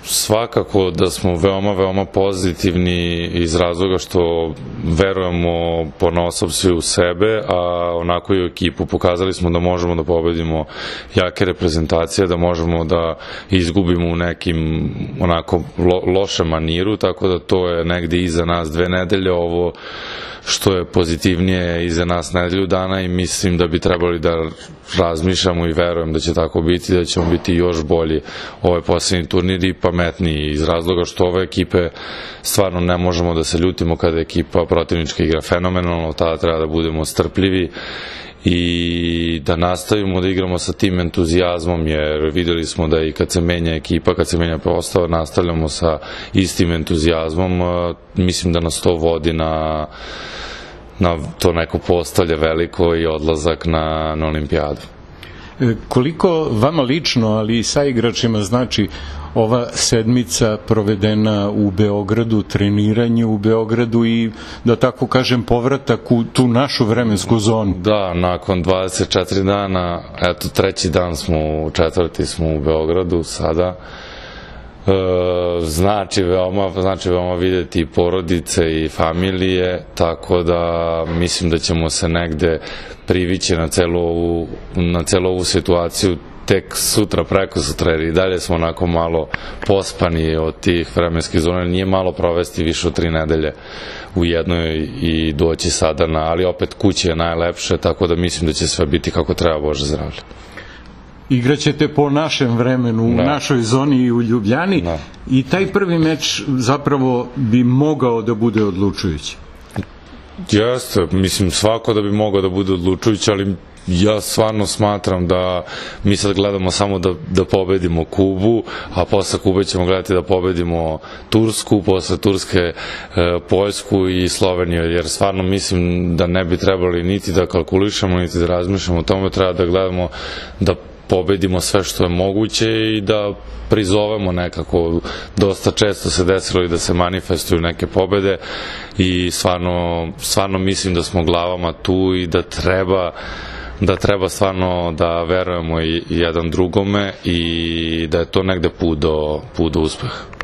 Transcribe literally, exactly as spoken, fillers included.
Svakako da smo veoma, veoma pozitivni iz razloga što verujemo ponaosob svi u sebe, a onako i u ekipu. Pokazali smo da možemo da pobedimo jake reprezentacije, da možemo da izgubimo u nekim onako lošem maniru, tako da to je negde iza nas dve nedelje. Ovo što je pozitivnije iza nas nedelju dana i mislim da bi trebali da razmišljamo i verujem da će tako biti, da ćemo biti još bolji ovaj poslednji turnir i pametniji iz razloga što ove ekipe stvarno ne možemo da se ljutimo kada ekipa protivnička igra fenomenalno, tada treba da budemo strpljivi i da nastavimo da igramo sa tim entuzijazmom, jer videli smo da i kad se menja ekipa, kad se menja postava, nastavljamo sa istim entuzijazmom. Mislim da nas to vodi na na to neko postavlje veliko i odlazak na, na olimpijadu. Koliko vama lično, ali i sa igračima, znači ova sedmica provedena u Beogradu, treniranje u Beogradu i, da tako kažem, povratak u tu našu vremensku zonu? Da, nakon dvadeset četiri dana, eto, treći dan smo, četvrti smo u Beogradu sada. Znači veoma, znači veoma videti porodice i familije, tako da mislim da ćemo se negde privići na celu ovu, na celu ovu situaciju tek sutra, preko sutra, jer i dalje smo onako malo pospani od tih vremenskih zona, nije malo provesti više od tri nedelje u jednoj i doći sada na, ali opet kući je najlepše, tako da mislim da će sve biti kako treba, Bože zdravlje. Igraćete po našem vremenu, u našoj zoni i u Ljubljani i taj prvi meč zapravo bi mogao da bude odlučujući. Jeste, mislim svako da bi mogao da bude odlučujući, ali ja stvarno smatram da mi sad gledamo samo da, da pobedimo Kubu, a posle Kube ćemo gledati da pobedimo Tursku, posle Turske e, Poljsku i Sloveniju, jer stvarno mislim da ne bi trebali niti da kalkulišemo, niti da razmišljamo o tome, treba da gledamo da pobedimo sve što je moguće i da prizovemo nekako. Dosta često se desilo i da se manifestuju neke pobede i stvarno, stvarno mislim da smo glavama tu i da treba da treba stvarno da verujemo i jedan drugome i da je to negde put do, put do uspeha.